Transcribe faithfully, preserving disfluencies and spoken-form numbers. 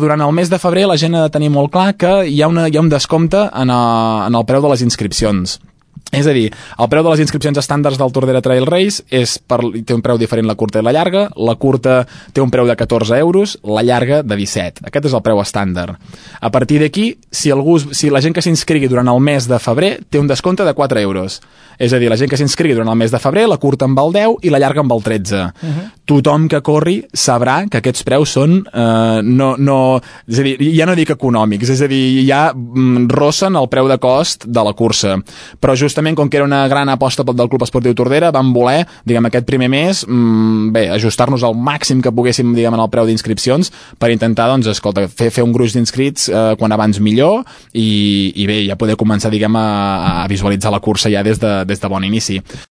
Durant el mes de febrer la gent ha de tenir molt clar que hi ha, una, hi ha un descompte en, a, en el preu de les inscripcions. És a dir, el preu de les inscripcions estàndards del Tordera Trail Race és per, té un preu diferent la curta i la llarga. La curta té un preu de catorze euros, la llarga de disset. Aquest és el preu estàndard. A partir d'aquí, si, algú, si la gent que s'inscrigui durant el mes de febrer té un descompte de quatre euros. És a dir, la gent que s'inscrigui durant el mes de febrer, la curta amb el deu i la llarga amb el tretze. Uh-huh. Tothom que corri sabrà que aquests preus són eh, no, no, és a dir, ja no dic econòmics, és a dir, ja mm, rossen el preu de cost de la cursa. Però justament com que era una gran aposta del Club Esportiu Tordera, vam voler, diguem, aquest primer mes, mmm, bé, ajustar-nos al màxim que poguéssim, diguem, en el preu d'inscripcions per intentar, doncs, escolta, fer, fer un gruix d'inscrits eh, quan abans millor i, i bé, ja poder començar, diguem, a, a visualitzar la cursa ja des de, des de bon inici.